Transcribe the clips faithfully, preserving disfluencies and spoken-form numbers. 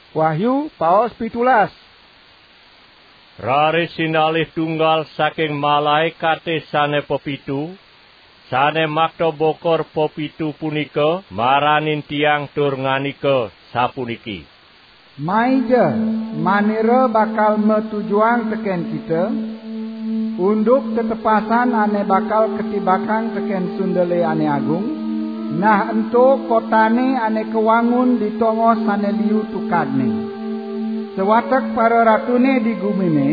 Wahyu paos pitulas. Raris sinalih tunggal saking malaekate sane pepitu, sane makta bokor pepitu punika maranin tiang tur ngandika sapuniki: Maija, manira bakal matujuang teken kita, unduk tetepasan ane bakal ketibakang teken sundele ane agung, nah ento kotane ane kawangun di tongos sane liu tukadne. Sawatek pararatune di gumine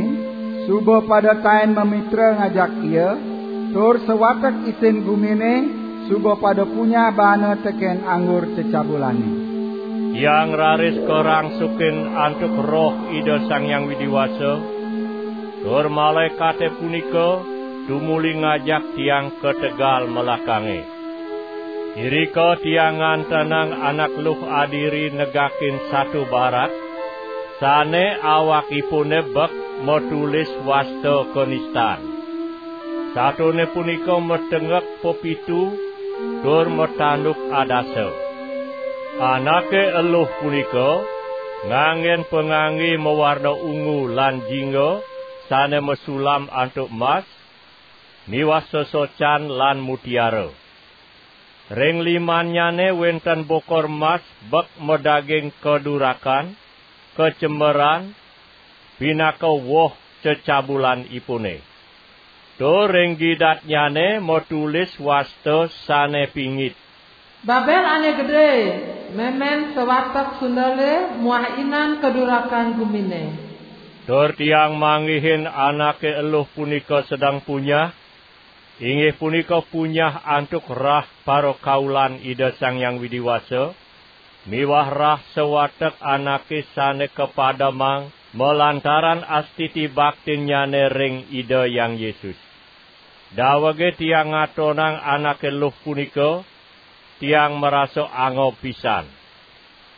suba pada taen mamitra ngajak ia, tur sawatek isin gumine suba pada punyah baana teken anggur cecabulane. Tiang raris karangsukin antuk Roh Ida Sang Hyang Widi Wasa, tur malaekate punika tumuli ngajak tiang ka tegal melakange. Irika tiang ngantenang anak luh adiri negakin satu barak, sane awakipune bek matulis wasta kanistan. Satone punika matengek pepitu tur matanduk adasa. Anake eluh punika nganggen pangangge mawarna ungu lan jingga sane masulam antuk mas, miwah sesocan lan mutiara. Ring limannyane wenten bokor mas bek madaging kadurakan, kacemeran, pinaka woh cecabulanipune. Tur ring gidatnyane matulis wasta sane pingit: Babel ane gede, memen sawatek sundele muah inan kadurakan gumine. Tur tiang manggihin anake eluh punika sedeng punyah, inggih punika punyah antuk rah parakaulan Ida Sang Hyang Widi Wasa, miwah rah sawatek anake sane kapademang malantaran astiti baktinnyane ring Ida Hyang Yesus. Dawege tiang ngatonang anake luh punika, tiang marasa angob pisan.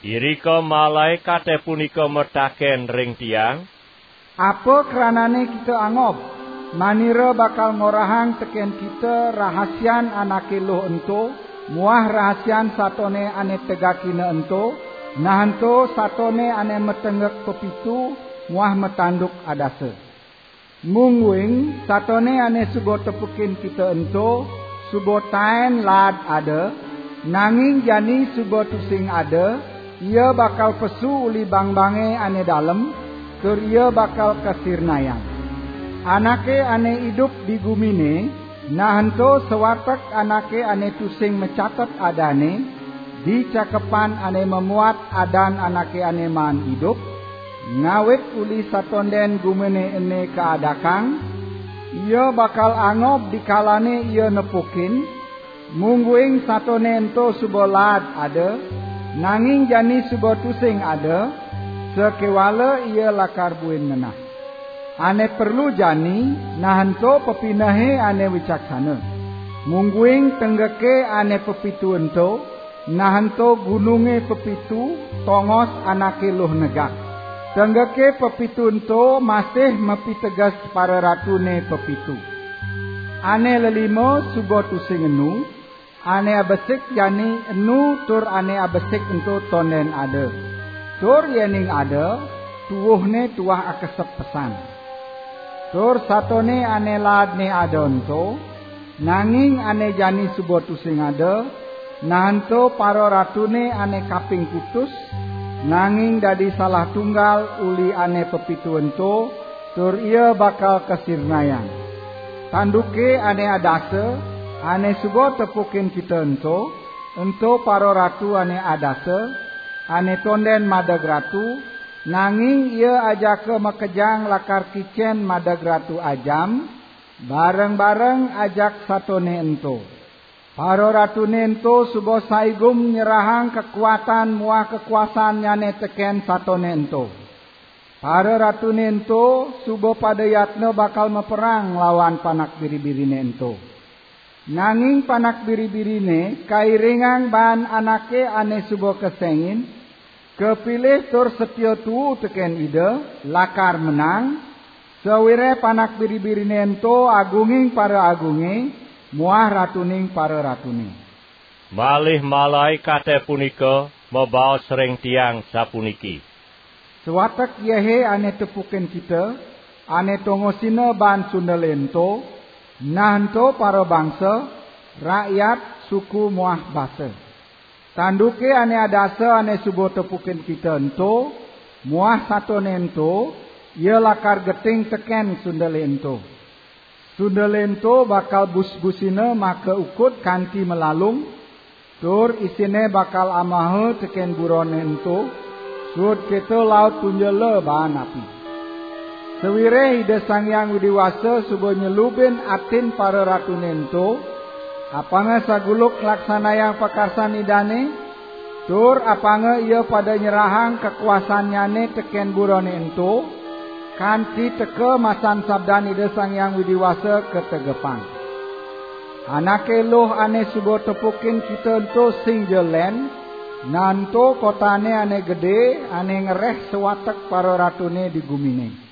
Irika malaekate punika mataken ring tiang: Apa kranane kita angob? Manira bakal ngorahang teken kita rahasian anake luh ento, muah rahasian satone ane tegakina ento, nah ento satone ane matengek pepitu muah matanduk adasa. Mungguing satone ane suba tepukin kita ento suba taen laad ada, nanging jani suba tusing ada, ia bakal pesu uli bangbange ane dalem, tur ia bakal kasirnayang. Anake ane idup di gumine, nah ento sawatek anake ane tusing macatet adane, di cakepan ane mamuat adan anake ane maan idup, ngawit uli satonden gumine ene kaadakang, ia bakal angob dikalane ia nepukin, mungguing satone ento suba laad ada, nanging jani suba tusing ada, sakewala ia lakar buin ngenah. Ane perlu jani, nah ento pepinehe ane wicaksana. Mungguing tenggeke ane pepitu ento, nah ento gununge pepitu, tongos anake luh negak. Tenggeke pepitu ento masih mapiteges pararatune pepitu. Ane lelima suba tusing enu, ane abesik jani enu tur ane abesik ento tonden ada. Tur yening ada, tuuhne tuah akesep pesan. Tur satone ane laadne ada ento, nanging ane jani suba tusing ada, nah ento pararatune ane kaping kutus, nanging dadi salah tunggal uli ane pepitu ento, tur ia bakal kasirnayang. Tanduke ane adasa, ane suba tepukin kita ento, ento pararatu ane adasa, ane tonden madeg ratu, nanging ia ajaka makejang lakar kicen madeg ratu ajam, bareng-bareng ajak satone ento. Pararatune ento suba saigum nyerahang kakuatan muah kakuasannyane teken satone ento. Pararatune ento suba pada yatna bakal maperang lawan panak biri-birine ento. Nanging panak biri-birine kairingang baan anake ane suba kesengin, kapilih tur satia tuu teken Ida, lakar menang, sawireh panak biri-birine ento agunging paraagunge muah ratuning pararatune. Malih malaekate punika mabaos ring tiang sapuniki: Sawatek yéhé ané tepukin kita, ané tongosina baan sundalé ento, nah ento parabangsa, rakyat, suku muah basa. Tanduké ané adasa ané suba tepukin kita ento, muah satoné ento, ia lakar geting tekén sundalé ento. Sundalé ento bakal busbusina maka ukud kanti malalung, tur isiné bakal amaha tekén buroné ento, suud kéto laut tunjela baan api. Sawiréh Ida Sang Hyang Widi Wasa suba nyelubin atin pararatuné ento, apanga saguluk nglaksanayang pakarsan Idané, tur apanga ia pada nyerahang kakuasannyané tekén buroné ento, kanti teka masan sabdan Ida Sang Hyang Widi Wasa kategepang. Anaké eluh ané suba tepukin kita ento sing ja lén, nah ento kotané ané gedé, ané ngeréh sawatek pararatuné di guminé.